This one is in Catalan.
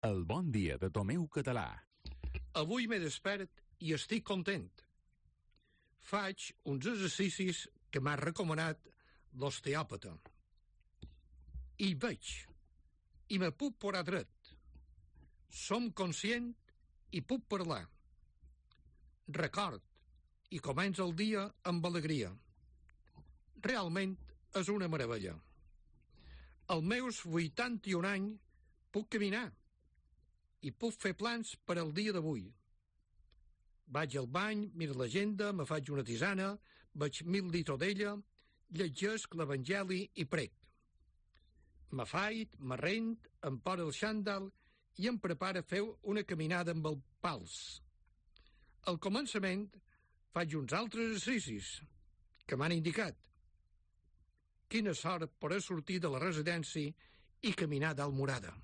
El bon dia de Tomeu Català. Avui m'he despert i estic content. Faig uns exercicis que m'ha recomanat l'osteòpata. I veig. I me puc posar dret. Som conscient i puc parlar. Record i comença el dia amb alegria. Realment és una meravella. Als meus 81 anys puc caminar i puc fer plans per al dia d'avui. Vaig al bany, miro l'agenda, me faig una tisana, veig 1000 litres d'ella, llegesc l'Evangeli i prec. M'afait, m'arrent, em poso el xandall i em prepara a fer una caminada amb el pals. Al començament faig uns altres exercicis que m'han indicat. Quina sort poder sortir de la residència i caminar dalt Murada.